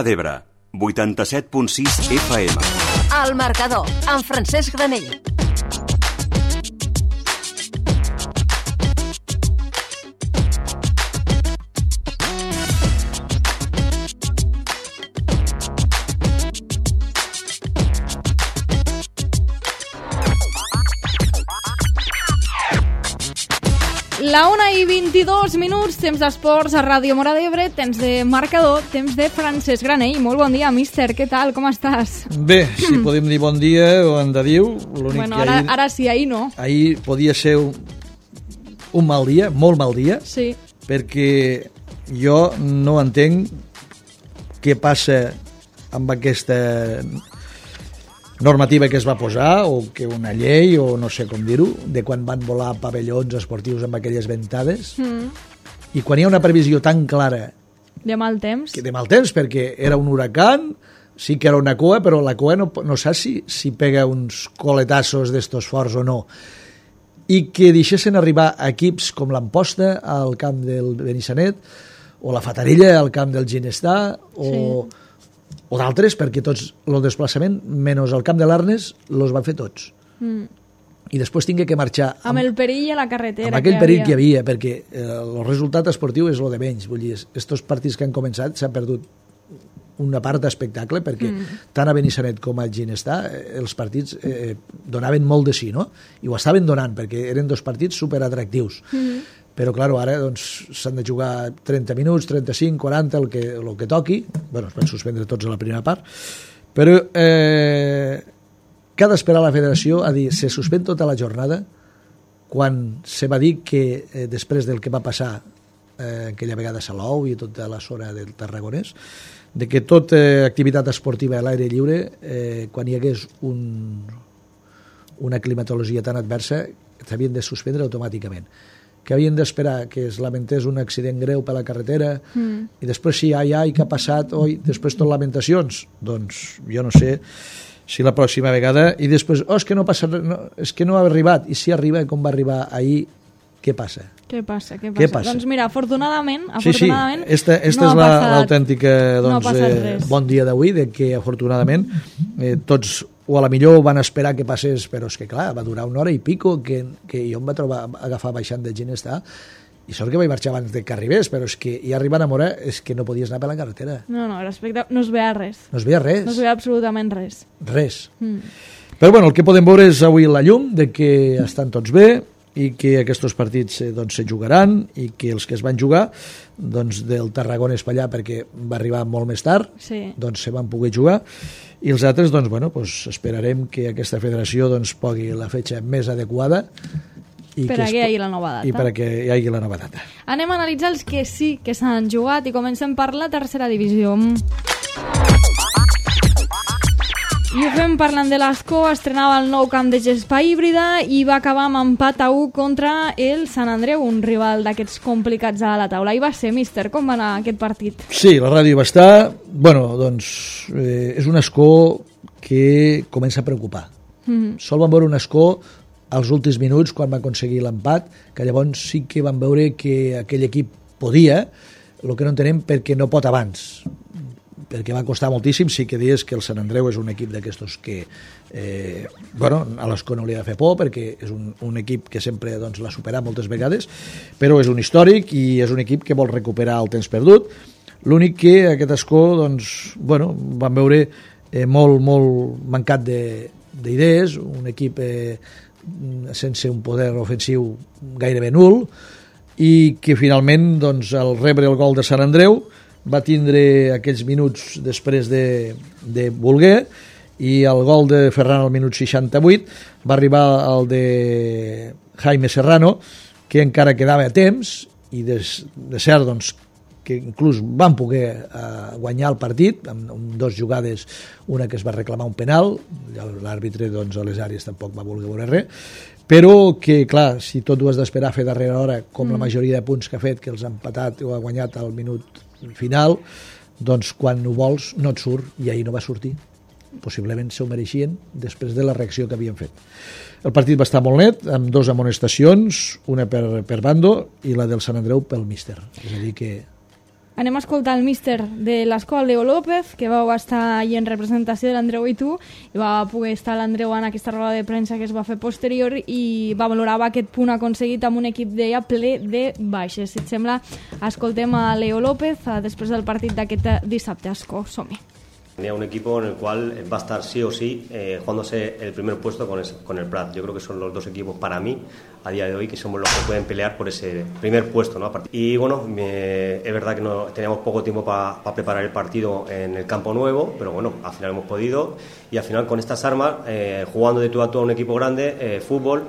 d'Ebre, 87.6 FM. El Marcador, amb Francesc Granell. La 1:22, temps d'esports a Ràdio Mora d'Ebre, temps de Marcador, temps de Francesc Granell. Molt bon dia, míster, què tal, com estàs? Bé, si podem dir bon dia o en de diu, l'únic bueno, que ara sí, ahir no. Ahir podia ser un mal dia, molt mal dia, Sí. perquè jo no entenc què passa amb aquesta normativa que es va posar, o que una llei, o no sé com dir-ho, de quan van volar pavellons esportius amb aquelles ventades, i quan hi ha una previsió tan clara De mal temps. que de mal temps, perquè era un huracan, sí que era una cua, però la cua no saps si pega uns coletassos d'estos forts o no, i que deixessin arribar equips com l'Amposta al camp del Benissanet, o la Fatarella al camp del Ginestar, o d'altres, perquè tots el desplaçament, menys el camp de l'Arnes, els van fer tots. I després tingué que marxar Amb el perill a la carretera. amb aquell perill que hi havia, perquè el resultat esportiu és el de menys. Vull dir, estos partits que han començat s'han perdut una part d'espectacle, perquè tant a Benissanet com a Ginestar els partits donaven molt de sí, no? I ho estaven donant, perquè eren dos partits superatractius. Però, clar, ara doncs, s'han de jugar 30 minuts, 35, 40, el que toqui. Bueno, es van suspendre tots a la primera part. Però que ha d'esperar la federació a dir se suspèn tota la jornada quan se va dir que després del que va passar aquella vegada a Salou i tota la zona del Tarragonès, de que tota activitat esportiva a l'aire lliure, quan hi hagués una climatologia tan adversa, s'havien de suspendre automàticament, que havien d'esperar que es lamentés un accident greu per la carretera i després si ai, què ha passat, després tot lamentacions, doncs jo no sé si la pròxima vegada, i després és que no passa res, és que no ha arribat, i si arriba com va arribar ahir, què passa? Què passa? Doncs mira, afortunadament sí, esta és l'autèntica bon dia d'avui, de que afortunadament tots o a la millor van esperar que passés, però és que clar, va durar una hora i pico que jo em va trobar agafar baixant de Ginestar, i sort que vaig marxar abans de que arribés, però és que ja arribant a Mora és que no podies anar per la carretera. No, respecte, no es veia res. No es veia res. No es veia absolutament res. Res. Però bueno, el que podem veure és avui la llum de que estan tots bé i que aquests partits doncs, se jugaran, i que els que es van jugar doncs, del Tarragona Espallà, perquè va arribar molt més tard, doncs se van poder jugar, i els altres doncs, bueno, doncs, esperarem que aquesta federació doncs, pogui la fetge més adequada i per a que hi hagi la nova data. I per a que hi hagi la nova data. Anem a analitzar els que sí que s'han jugat i comencem per la tercera divisió. I ho fem parlant de l'Escó, estrenava el nou camp de gespa híbrida i va acabar amb empat a 1 contra el Sant Andreu, un rival d'aquests complicats a la taula. I va ser, míster, com va anar aquest partit? Sí, la ràdio va estar... Bueno, doncs és un Escó que comença a preocupar. Sol vam veure un Escó als últims minuts, quan va aconseguir l'empat, que llavors sí que van veure que aquell equip podia, el que no entenem perquè no pot abans, perquè va costar moltíssim. Sí que dius que el Sant Andreu és un equip d'aquestos que a l'Escó no li ha de fer por, perquè és un equip que sempre doncs, l'ha superat moltes vegades, però és un històric i és un equip que vol recuperar el temps perdut. L'únic que aquest Escó doncs, van veure molt mancat d'idees, un equip sense un poder ofensiu gairebé nul, i que finalment doncs, al rebre el gol de Sant Andreu va tindre aquells minuts després de voler, i el gol de Ferran al minut 68 va arribar el de Jaime Serrano, que encara quedava a temps, i de cert doncs, que inclús van poder guanyar el partit amb dues jugades, una que es va reclamar un penal, l'àrbitre doncs, a les àrees tampoc va voler veure res, però que clar, si tot ho has d'esperar a fer darrere hora, com la majoria de punts que ha fet, que els ha empatat o ha guanyat al minut final, doncs quan ho vols no et surt, i ahir no va sortir. Possiblement s'ho mereixien després de la reacció que havien fet. El partit va estar molt net, amb 2 amonestacions, una per bando i la del Sant Andreu pel míster. És a dir que Anem a escoltar el míster de l'escola, Leo López, que vau estar allà en representació de l'Andreu i tu, i va poder estar l'Andreu en aquesta roda de premsa que es va fer posterior i va valorar aquest punt aconseguit amb un equip deia ple de baixes. Si et sembla, escoltem a Leo López després del partit d'aquest dissabte a Ascó. Som-hi. Tenía un equipo en el cual va a estar sí o sí jugándose el primer puesto con el Prat. Yo creo que son los dos equipos para mí a día de hoy que somos los que pueden pelear por ese primer puesto, ¿no? Y bueno, es verdad que no teníamos poco tiempo para preparar el partido en el campo nuevo, pero bueno, al final hemos podido y al final con estas armas, jugando de tú a tú a un equipo grande, fútbol,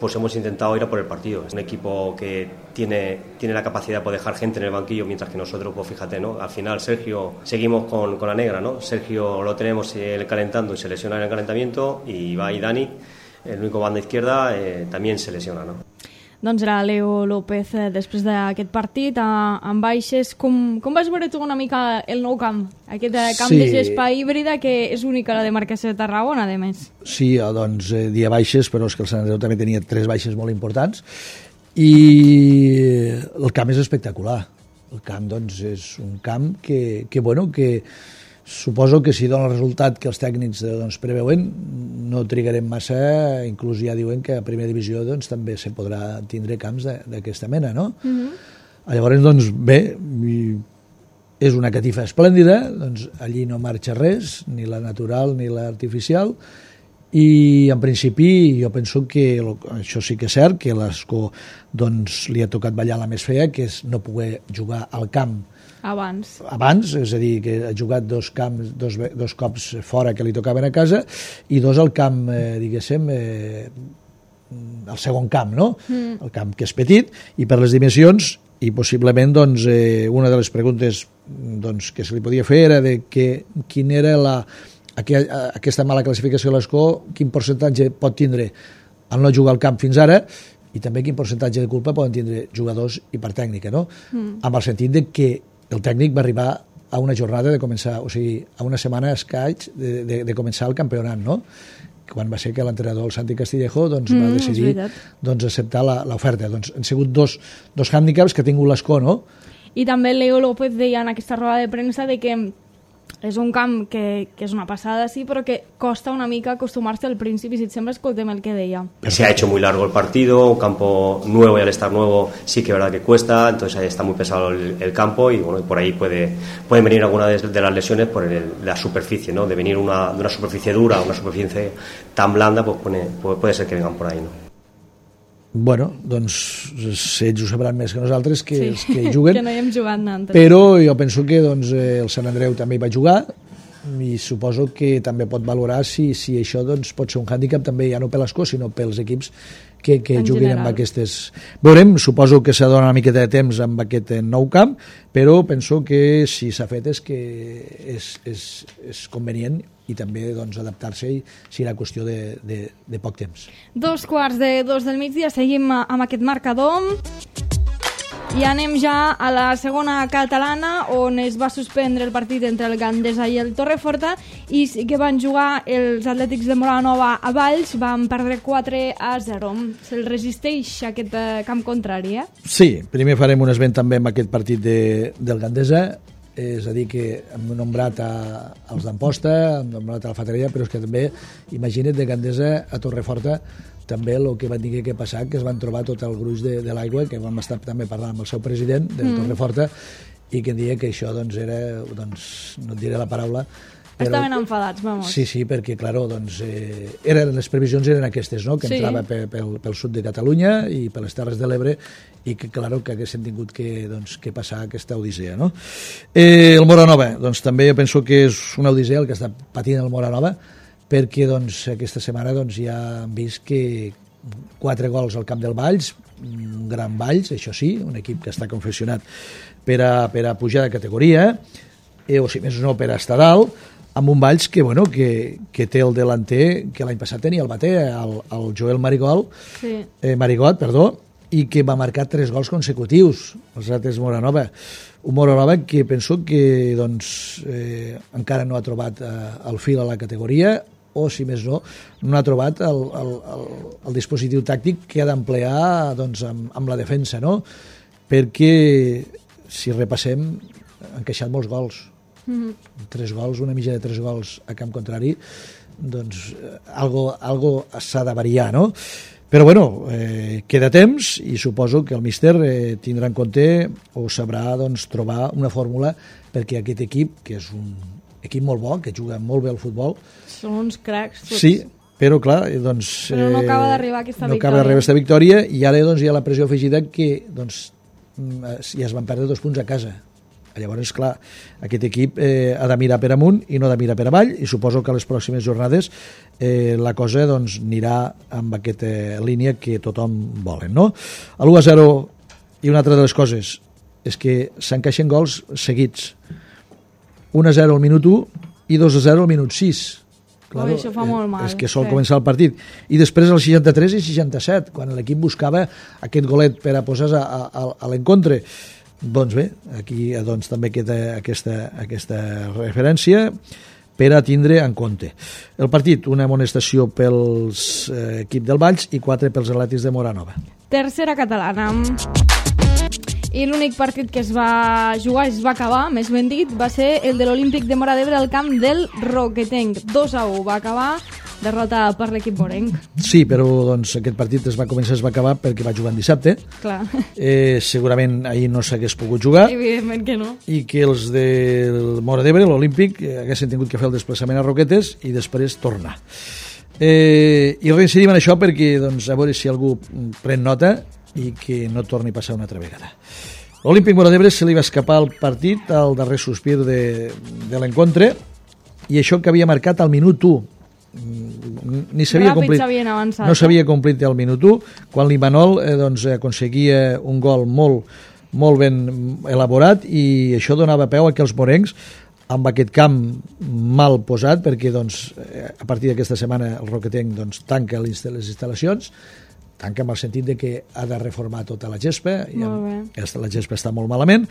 pues hemos intentado ir a por el partido. Es un equipo que tiene la capacidad de poder dejar gente en el banquillo, mientras que nosotros, pues fíjate, ¿no? Al final Sergio, seguimos con la negra, ¿no? Sergio lo tenemos calentando y se lesiona en el calentamiento, y va y Dani, el único banda izquierda, también se lesiona, ¿no? Doncs era Leo López després d'aquest partit amb baixes. Com vas veure tu una mica el nou camp? Aquest camp de gespa híbrida que és únic a la demarcació de Tarragona, a més. Sí, doncs dia baixes, però és que el Sant Andreu també tenia 3 baixes molt importants i el camp és espectacular. El camp doncs és un camp que suposo que si dona el resultat que els tècnics preveuen, no trigarem massa, inclús ja diuen que a primera divisió doncs, també se podrà tindre camps d'aquesta mena, no? Llavors, doncs, bé, és una catifa esplèndida, doncs allí no marxa res, ni la natural ni l'artificial, i en principi jo penso que això sí que és cert, que l'Ascó doncs, li ha tocat ballar la més fea, que és no poder jugar al camp abans, és a dir, que ha jugat dos cops fora que li tocaven a casa i 2 al camp, diguéssim, al segon camp, no? El camp que és petit, i per les dimensions, i possiblement doncs, una de les preguntes doncs, que se li podia fer era de quin era aquesta mala classificació de l'Ascó, quin percentatge pot tindre al no jugar al camp fins ara, i també quin percentatge de culpa poden tindre jugadors i part tècnica, no? Amb el sentit de que el tècnic va arribar a una jornada de començar, o sigui, a una setmana escaig de començar el campionat, no? Quan va ser que l'entrenador, el Santi Castillejo, doncs, va decidir doncs, acceptar l'oferta. Doncs han sigut dos hàndicaps que ha tingut l'Ascó, no? I també Leo López deia en aquesta roda de premsa de que és un camp que és una passada, sí, però que costa una mica acostumar-se al principi. Si et sembla, escoltem el que deia. Se ha hecho muy largo el partido, un campo nuevo, y al estar nuevo sí que es verdad que cuesta, entonces ahí está muy pesado el campo, y bueno, por ahí pueden venir algunas de las lesiones por la superficie, ¿no? De venir de una superficie dura a una superficie tan blanda, pues puede ser que vengan por ahí, ¿no? Bueno, doncs ells ho sabran més que nosaltres, que els que juguen, que no hi hem jugat antes. Però jo penso que doncs, el Sant Andreu també hi va jugar i suposo que també pot valorar si això doncs, pot ser un hàndicap també ja no per l'Ascó sinó pels equips que juguin amb aquestes... Veurem, suposo que s'ha de donar una miqueta de temps amb aquest nou camp, però penso que si s'ha fet és que és convenient i també doncs, adaptar-se si era qüestió de poc temps. 2:45 del migdia, seguim amb aquest marcador i anem ja a la segona catalana, on es va suspendre el partit entre el Gandesa i el Torreforta, i sí que van jugar els Atlètics de Móra-la-Nova a Valls, van perdre 4-0. Se'l resisteix aquest camp contrari, eh? Sí, primer farem un esment també amb aquest partit del Gandesa, és a dir, que hem nombrat els d'Amposta, hem nombrat a la Fatarella, però és que també, imagina't, de Gandesa a Torreforta, també el que van dir que passar, que es van trobar tot el gruix de l'aigua, que vam estar també parlant amb el seu president de Torreforta, i que em deia que això doncs, era, no et diré la paraula, estaven enfadats, vamos. Sí, perquè, clar, doncs, les previsions eren aquestes, no? Que entrava pel sud de Catalunya i per les Terres de l'Ebre, i que, clar, que haguessin tingut que passar aquesta odissea, no? El Móra-la-Nova, doncs també jo penso que és una odissea el que està patint el Móra-la-Nova, perquè doncs, aquesta setmana doncs, ja hem vist que 4 gols al camp del Valls, un gran Valls, això sí, un equip que està confeccionat per a pujar de categoria, o si més no per a estar dalt, amb un Valls que té el delanter que l'any passat tenia el bater, el Joel Marigot, i que va marcar 3 gols consecutius, els altres Móra-la-Nova. Un Móra-la-Nova que penso que doncs, encara no ha trobat el fil a la categoria, o si més no ha trobat el dispositiu tàctic que ha d'emplear doncs, amb la defensa, no? Perquè si repassem han queixat molts gols. 3 gols, una mitja de 3 gols a camp contrari, doncs algo s'ha de variar, no? Però bueno, queda temps i suposo que el míster tindrà en compte o sabrà doncs, trobar una fórmula perquè aquest equip, que és un equip molt bo, que juga molt bé al futbol, són uns cracs tots. Sí, però clar, doncs, però no acaba d'arribar aquesta victòria. No acaba d'arribar aquesta victòria i ara doncs, hi ha la pressió afegida que doncs, ja es van perdre 2 punts a casa. Llavors, clar, aquest equip ha de mirar per amunt i no ha de mirar per avall, i suposo que a les pròximes jornades la cosa doncs, anirà amb aquesta línia que tothom volen, no? A l'1-0, i una altra de les coses és que s'encaixen gols seguits. 1-0 al minut 1 i 2-0 al minut 6. Claro, això fa molt mal. És que sol començar el partit. I després al 63 i 67, quan l'equip buscava aquest golet per a posar a l'encontre. Doncs bé, aquí doncs, també queda aquesta referència per a tindre en compte. El partit, una amonestació pels equip del Valls i 4 pels atlètics de Moranova. Tercera catalana. I l'únic partit que es va jugar, es va acabar, més ben dit, va ser el de l'Olímpic de Móra d'Ebre al camp del Roquetenc. 2-1 va acabar, derrota per l'equip morenc. Sí, però doncs, aquest partit es va acabar perquè va jugar en dissabte. Clar. Segurament ahir no s'hagués pogut jugar. Evidentment que no. I que els del Móra d'Ebre, l'Olímpic, haguessin tingut que fer el desplaçament a Roquetes i després tornar. I reincidim en això perquè doncs, a veure si algú pren nota i que no torni a passar una altra vegada. L'Olímpic Móra d'Ebre se li va escapar el partit al darrer sospir de l'encontre, i això que havia marcat al minut 1. Ni s'havia complit, avançat, no s'havia complit el minut 1, quan l'Imanol doncs, aconseguia un gol molt ben elaborat, i això donava peu a que els morencs, amb aquest camp mal posat, perquè doncs, a partir d'aquesta setmana el Roquetenc doncs, tanca les instal·lacions, tanca amb el sentit de que ha de reformar tota la gespa, i la gespa està molt malament,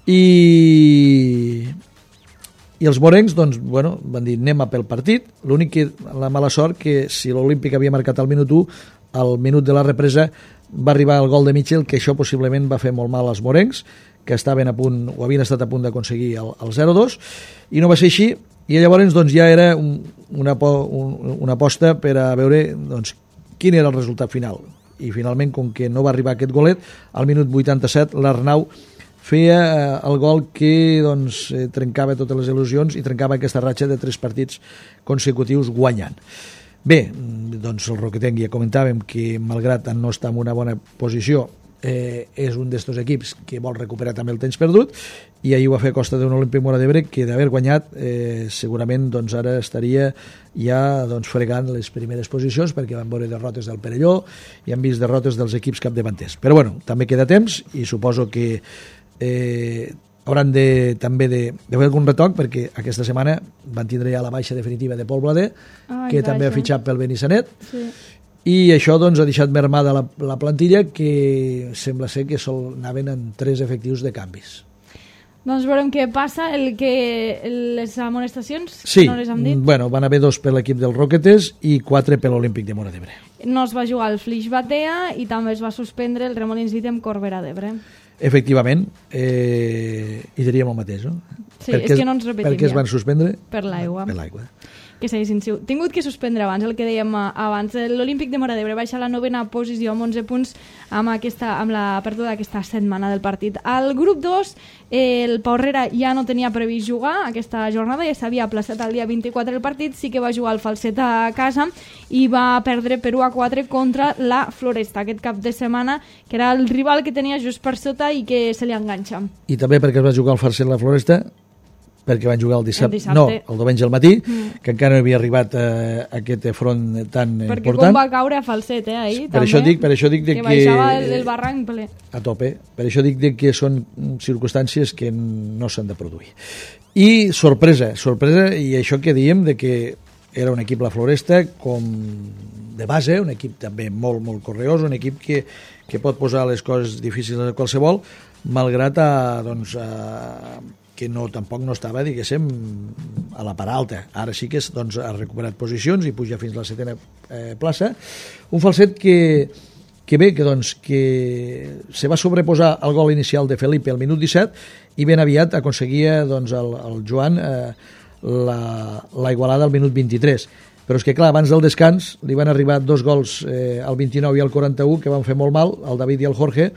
i els morencs doncs, bueno, van dir anem a pel partit. L'únic que la mala sort que si l'Olímpic havia marcat al minut 1, al minut de la represa va arribar el gol de Mitchell, que això possiblement va fer molt mal als morencs, que estaven a punt, o havien estat a punt d'aconseguir el 0-2, i no va ser així, i llavors doncs, ja era una aposta per a veure doncs, quin era el resultat final. I finalment, com que no va arribar aquest golet, al minut 87 l'Arnau feia el gol que doncs, trencava totes les il·lusions i trencava aquesta ratxa de 3 partits consecutius guanyant. Bé, doncs el Roquetenc ja comentàvem que malgrat no estar en una bona posició, és un d'estos equips que vol recuperar també el temps perdut, i ahir ho va fer a costa d'un Olímpic Móra d'Ebre que d'haver guanyat segurament doncs, ara estaria ja doncs, fregant les primeres posicions, perquè van veure derrotes del Perelló i han vist derrotes dels equips capdavanters. Però bueno, també queda temps i suposo que hauran també de fer algun retoc, perquè aquesta setmana van tindre ja la baixa definitiva de Pol Blader, que també ha fitxat pel Benissanet, i això doncs, ha deixat mermada la plantilla, que sembla ser que anaven en 3 efectius de canvis. Doncs veurem què passa. Les amonestacions, sí, no les hem dit? Bueno, van haver 2 per l'equip del Roquetes i 4 per l'Olímpic de Móra d'Ebre. No es va jugar el Flix Batea i també es va suspendre el Remolins d'Ítem Corbera d'Ebre. Efectivament, i diríem el mateix, no? Sí, és que no ens repetim. Per què es van suspendre? Per l'aigua. Per l'aigua. Que s'haguessin tingut que suspendre abans, el que dèiem abans. L'Olímpic de Móra d'Ebre baixa a la 9ª posició amb 11 punts amb la pèrdua d'aquesta setmana del partit. Al grup 2, el Pau Herrera ja no tenia previst jugar aquesta jornada, ja s'havia aplaçat el dia 24 el partit, sí que va jugar el Falset a casa i va perdre per 1-4 contra la Floresta, aquest cap de setmana, que era el rival que tenia just per sota i que se li enganxa. I també perquè es va jugar el Falset a la Floresta, perquè van jugar el dissabte. No, el diumenge al matí, que encara no havia arribat a aquest front tan important. Perquè com va caure a Falset, ahir, per també. Per això dic que baixava el barranc ple. A tope. Per això dic que són circumstàncies que no s'han de produir. I sorpresa, i això que diem de que era un equip la Floresta com de base, un equip també molt, molt correós, un equip que pot posar les coses difícils a qualsevol, malgrat que tampoc no estava, diguéssim, a la part alta. Ara sí que doncs, ha recuperat posicions i puja fins a la 7ª plaça. Un Falset que que bé, que se va sobreposar el gol inicial de Felipe al minut 17 i ben aviat aconseguia doncs, el Joan la igualada al minut 23. Però és que clar, abans del descans li van arribar 2 gols al 29 i al 41 que van fer molt mal, el David i el Jorge,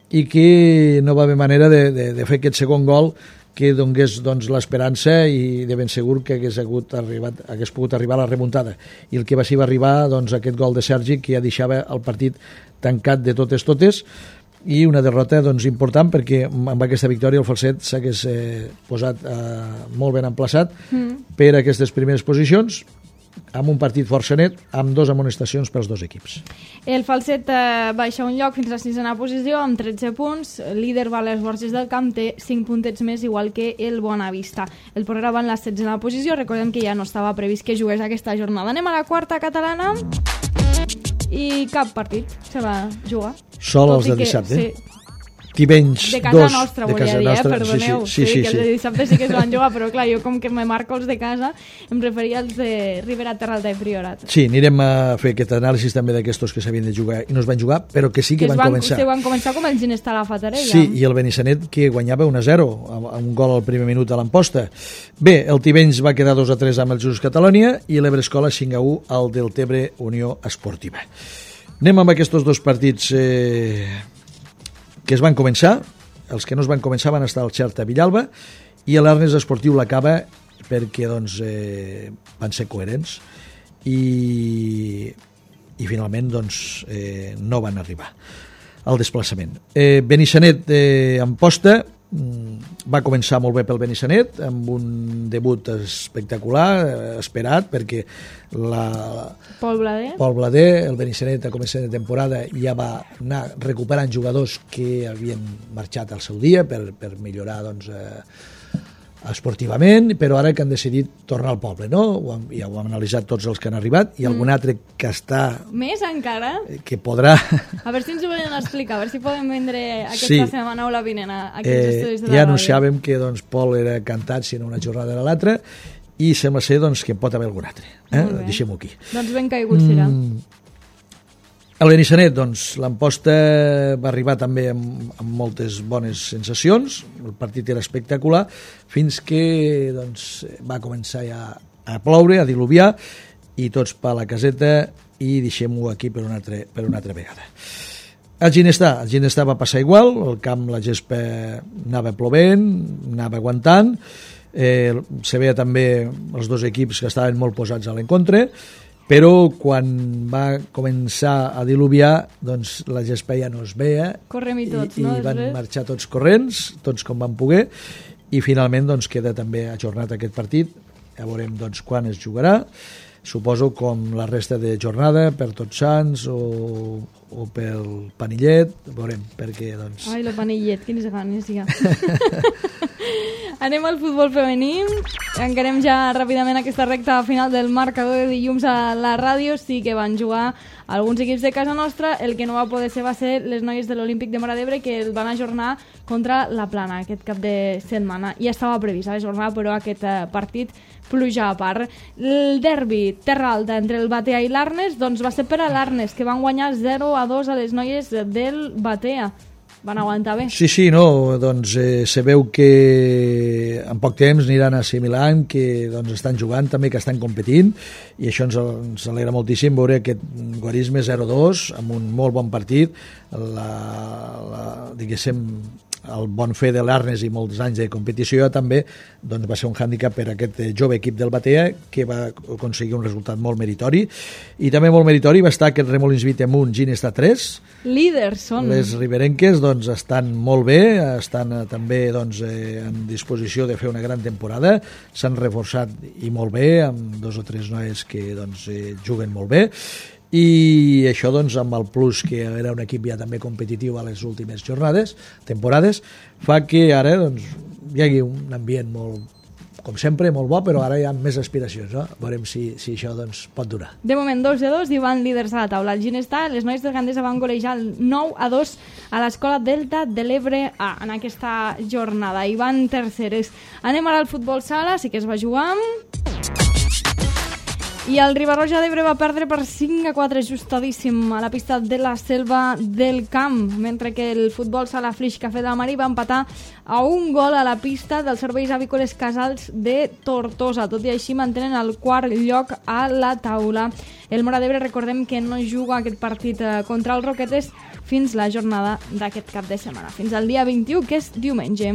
i que no va haver manera de fer aquest segon gol que donés doncs, l'esperança i de ben segur que hagués pogut arribar a la remuntada. I el que va arribar doncs, aquest gol de Sergi que ja deixava el partit tancat de totes i una derrota doncs, important perquè amb aquesta victòria el Falset s'hagués posat molt ben emplaçat per aquestes primeres posicions amb un partit força net, amb 2 amonestacions pels 2 equips. El Falset baixa un lloc fins a la 6a posició amb 13 punts, líder va a les Borges del Camp, té 5 puntets més, igual que el Bonavista. El Porrera va en la 16a posició, recordem que ja no estava previst que jugués aquesta jornada. Anem a la 4a catalana i cap partit se va jugar. Sol els de dissabte. Sí. Tivenys, de casa 2, nostra, volia dir, perdoneu. Sí. Que els de dissabte sí que es van jugar, però clar, jo com que me marco els de casa, em referia als de Ribera, Terralta i Priorat. Sí, anirem a fer aquest anàlisi també d'aquestos que s'havien de jugar i no es van jugar, però que sí que van començar. Se van començar com el Ginestà a la Fatarella. Sí, i el Benissanet que guanyava 1-0, amb un gol al primer minut a l'Amposta. Bé, el Tivenys va quedar 2-3 amb el Jesús Catalònia i l'Ebrescola 5-1 al Deltebre Unió Esportiva. Anem amb aquests 2 partits que es van començar. Els que no es van començar van estar al Xerta Villalba i l'Arnes Esportiu l'acaba perquè doncs, van ser coherents i finalment doncs, no van arribar al desplaçament. Benissanet Amposta va començar molt bé pel Benissanet amb un debut espectacular, esperat, perquè Pol Blader, el Benissanet a començament de temporada ja va anar recuperant jugadors que havien marxat al seu dia per millorar doncs, esportivament, però ara que han decidit tornar al poble, no? Ja ho hem analitzat tots els que han arribat i algun altre que està... Més encara? Que podrà... A veure si ens ho volen explicar, a veure si podem vendre aquesta setmana o la vinent a aquests estudis de la ja ràdio. anunciàvem que doncs, Pol era cantat si no una jornada era l'altra i sembla ser doncs, que en pot haver algun altre. Deixem-ho aquí. Doncs ben caigut serà. El Benissanet, doncs, l'Amposta va arribar també amb moltes bones sensacions, el partit era espectacular, fins que doncs, va començar ja a ploure, a diluviar, i tots per la caseta, i deixem-ho aquí per una altra vegada. El Ginestà va passar igual, el camp, la gespa anava plovent, anava aguantant, se veia també els 2 equips que estaven molt posats a l'encontre, però quan va començar a diluviar doncs la gespa ja no es veia. Correm i tots, i van marxar tots corrents, tots com van poder, i finalment doncs, queda també ajornat aquest partit. Ja veurem doncs, quan es jugarà, suposo com la resta de jornada per Tots Sants o pel Panillet, veurem, perquè doncs... Ai, el Panillet, quines ganes ja. Anem al futbol femení, encarem ja ràpidament aquesta recta final del marcador de dilluns a la ràdio. Sí que van jugar alguns equips de casa nostra, el que no va poder ser va ser les noies de l'Olímpic de Móra d'Ebre, que el van ajornar contra la Plana aquest cap de setmana. Ja estava previst ajornar, però aquest partit pluja a part. El derbi Terra Alta entre el Batea i l'Arnes doncs va ser per a l'Arnes, que van guanyar 0-2 a les noies del Batea. Van aguantar bé. Sí, no, doncs se veu que en poc temps aniran assimilant que doncs, estan jugant també, que estan competint, i això ens alegra moltíssim veure aquest guarisme 0-2 amb un molt bon partit, diguéssim, el bon fer de l'Arnes i molts anys de competició també doncs, va ser un hàndicap per aquest jove equip del Batea, que va aconseguir un resultat molt meritori, i també molt meritori va estar aquest Remolins 20 amunt, Ginestà 3. Líders són. Les riberenques doncs, estan molt bé, estan també doncs, en disposició de fer una gran temporada, s'han reforçat i molt bé, amb 2 o 3 noies que doncs, juguen molt bé, i això doncs, amb el plus que era un equip ja també competitiu a les últimes temporades, fa que ara doncs, hi hagi un ambient molt, com sempre, molt bo, però ara hi ha més aspiracions, no? Veurem si això doncs, pot durar. De moment 2-2 i van líders a la taula. El Ginestà, les noies del Gandesa van golejar el 9-2 a l'Escola Delta de l'Ebre A en aquesta jornada, i van terceres. Anem ara al futbol sala, sí que es va jugar. I el Riba-roja d'Ebre va perdre per 5-4 ajustadíssim a la pista de la Selva del Camp, mentre que el futbol sala Flix Cafè de Marí va empatar a un gol a la pista dels serveis avícoles Casals de Tortosa. Tot i així mantenen el quart lloc a la taula. El Móra d'Ebre, recordem que no juga aquest partit contra els Roquetes fins la jornada d'aquest cap de setmana, fins al dia 21, que és diumenge.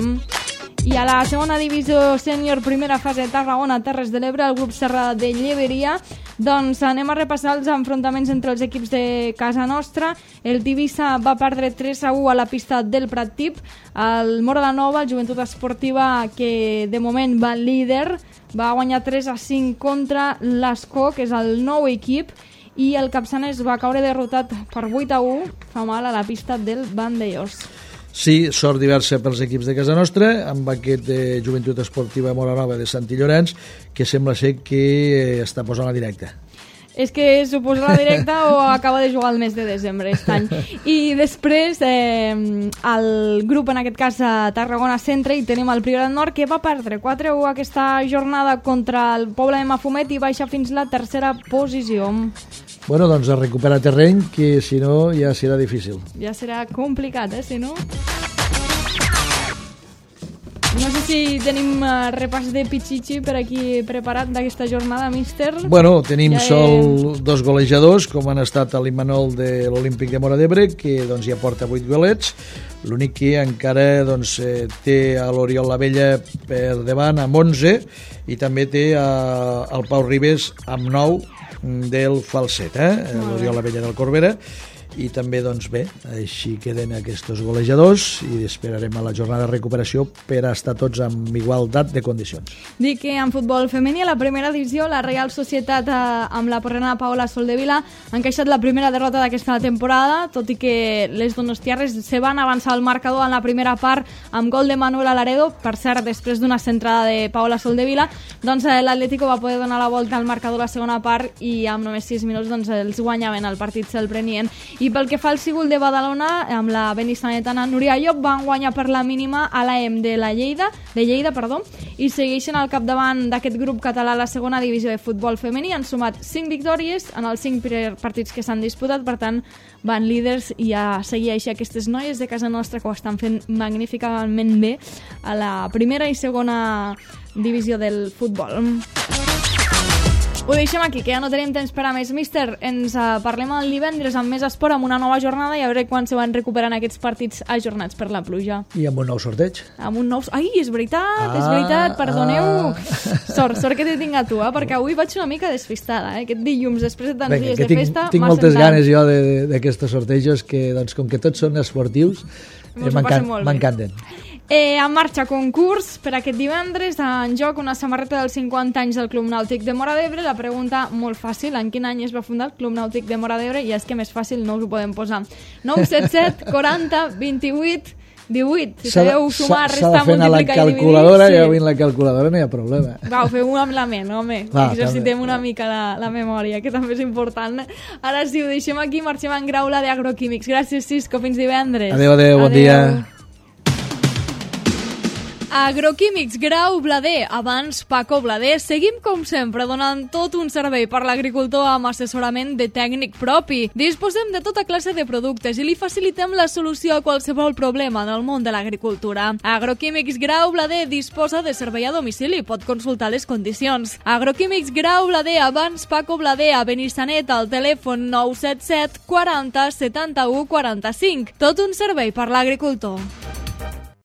I a la segona divisió sènior, primera fase, Tarragona, Terres de l'Ebre, el grup Serra de Lleberia, doncs anem a repassar els enfrontaments entre els equips de casa nostra. El Tivissa va perdre 3-1 a la pista del Prat Tip. El Móra la Nova, el Joventut Esportiva, que de moment va líder, va guanyar 3-5 contra l'Escó, que és el nou equip, i el Capçanes va caure derrotat per 8-1, fa mal a la pista del Vandellós. Sí, sort diversa pels equips de casa nostra, amb aquest de Joventut Esportiva Móra Nova de Sant Llorenç, que sembla ser que està posant la directa. És que suposa la directa o acaba de jugar el mes de desembre aquest any. I després el grup, en aquest cas Tarragona Centre, i tenim el Priorat Nord, que va perdre 4-1 aquesta jornada contra el Poble de Mafumet i baixa fins la tercera posició. Bueno, doncs a recuperar terreny, que si no ja serà difícil. Ja serà complicat, si no? No sé si tenim repàs de Pichichi per aquí preparat d'aquesta jornada, míster. Bueno, tenim sol dos golejadors, com han estat l'Immanol de l'Olímpic de Móra d'Ebre, que doncs, ja porta 8 golets. L'únic que encara doncs, té a l'Oriol Lavella per davant amb 11 i també té el Pau Ribes amb 9 del Falset, l'Oriol Lavella del Corbera. I també, doncs bé, així queden aquests golejadors i esperarem a la jornada de recuperació per a estar tots amb igualtat de condicions. Dic que en futbol femení, a la primera divisió, la Real Societat amb la porrena Paola Soldevila han encaixat la primera derrota d'aquesta temporada, tot i que les donostiarres se van avançar al marcador en la primera part amb gol de Manuel Alaredo. Per cert, després d'una centrada de Paola Soldevila, doncs l'Atlético va poder donar la volta al marcador a la segona part i amb només 6 minuts doncs, els guanyaven, el partit se'l prenien. I pel que fa al Cígol de Badalona, amb la benissanetana Núria Llop, van guanyar per la mínima a l'AEM de Lleida, i segueixen al capdavant d'aquest grup català a la segona divisió de futbol femení. Han sumat 5 victòries en els 5 partits que s'han disputat, per tant van líders i a seguir així aquestes noies de casa nostra que ho estan fent magníficament bé a la primera i segona divisió del futbol. Ho deixem aquí, que ja no tenim temps per a més. Míster, ens parlem el divendres amb més esport, amb una nova jornada, i a veure quan se van recuperant aquests partits ajornats per la pluja. I amb un nou sorteig. Amb un nou... Ai, és veritat, perdoneu. Sort que te tinc a tu, perquè avui vaig una mica despistada, aquest dilluns, després de tants dies de festa. Tinc moltes ganes jo d'aquestos sortejos, que doncs, com que tots són esportius, m'encanten. En marxa concurs per aquest divendres, en joc una samarreta dels 50 anys del Club Nàutic de Móra d'Ebre. La pregunta molt fàcil, en quin any es va fundar el Club Nàutic de Móra d'Ebre? I és que més fàcil no us ho podem posar. 977 40 28 18. Si sabeu sumar, restar, multiplicar i dividir... Ja vinc la calculadora, no hi ha problema. Va, ho feu amb la ment, home. Exercitem una mica la memòria, que també és important. Ara sí, ho deixem aquí, marxem en Graula d'Agroquímics. Gràcies, Cisco, fins divendres. Adéu, bon dia. Agroquímics Grau Blader, abans Paco Blader. Seguim com sempre donant tot un servei per l'agricultor amb assessorament de tècnic propi. Disposem de tota classe de productes i li facilitem la solució a qualsevol problema en el món de l'agricultura. Agroquímics Grau Blader disposa de servei a domicili, pot consultar les condicions. Agroquímics Grau Blader, abans Paco Blader, a Benissanet, al telèfon 977 40 71 45. Tot un servei per l'agricultor.